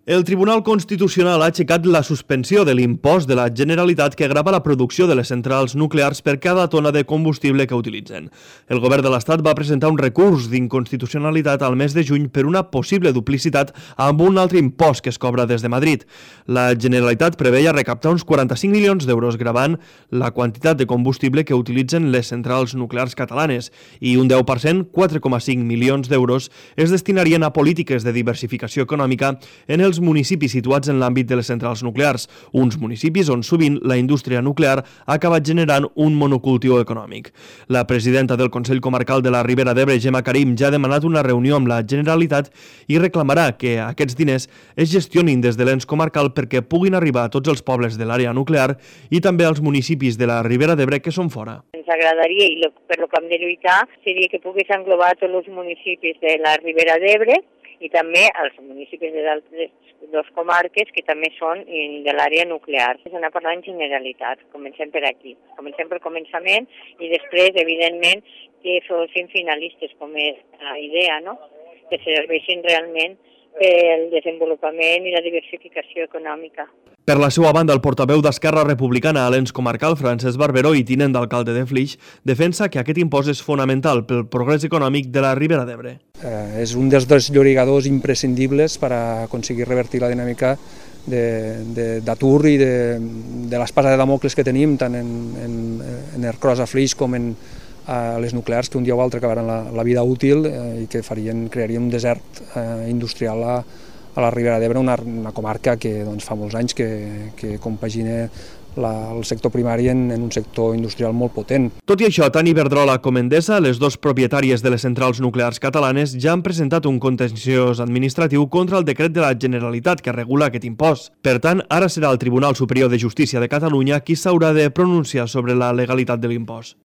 El Tribunal Constitucional ha aixecat la suspensió de l'impost de la Generalitat que grava la producció de les centrals nuclears per cada tona de combustible que utilitzen. El govern de l'Estat va presentar un recurs d'inconstitucionalitat al mes de juny per una possible duplicitat amb un altre impost que es cobra des de Madrid. La Generalitat preveia recaptar uns 45 milions d'euros gravant la quantitat de combustible que utilitzen les centrals nuclears catalanes i un 10%, 4,5 milions d'euros, es destinarien a polítiques de diversificació econòmica en els municipis situats en l'àmbit de les centrals nuclears, uns municipis on sovint la indústria nuclear ha acabat generant un monocultiu econòmic. La presidenta del Consell Comarcal de la Ribera d'Ebre, Gemma Karim, ja ha demanat una reunió amb la Generalitat i reclamarà que aquests diners es gestionin des de l'ens comarcal perquè puguin arribar a tots els pobles de l'àrea nuclear i també als municipis de la Ribera d'Ebre que són fora. Ens agradaria, i per lo que hem de lluitar, seria que pogués englobar tots els municipis de la Ribera d'Ebre i també els municipis de d'altres dues comarques que també són de l'àrea nuclear. És anar parlant en generalitat, comencem per aquí. Comencem pel començament i després, evidentment, que fossin finalistes, com és la idea, no? Que serveixin realment pel desenvolupament i la diversificació econòmica. Per la seva banda, el portaveu d'Esquerra Republicana a l'ens comarcal, Francesc Barberó, i tinent d'alcalde de Flix, defensa que aquest impost és fonamental pel progrés econòmic de la Ribera d'Ebre. És un dels dos llorigadors imprescindibles per aconseguir revertir la dinàmica d'atur i de l'espasa de Damocles que tenim tant en Ercros a Flix com en les nuclears que un dia o altre acabaran la vida útil i que crearien un desert industrial a la Ribera d'Ebre, una comarca que fa molts anys que compagina el sector primari en un sector industrial molt potent. Tot i això, tant Iberdrola com Endesa, les dues propietàries de les centrals nuclears catalanes, ja han presentat un contenciós administratiu contra el decret de la Generalitat que regula aquest impost. Per tant, ara serà el Tribunal Superior de Justícia de Catalunya qui s'haurà de pronunciar sobre la legalitat de l'impost.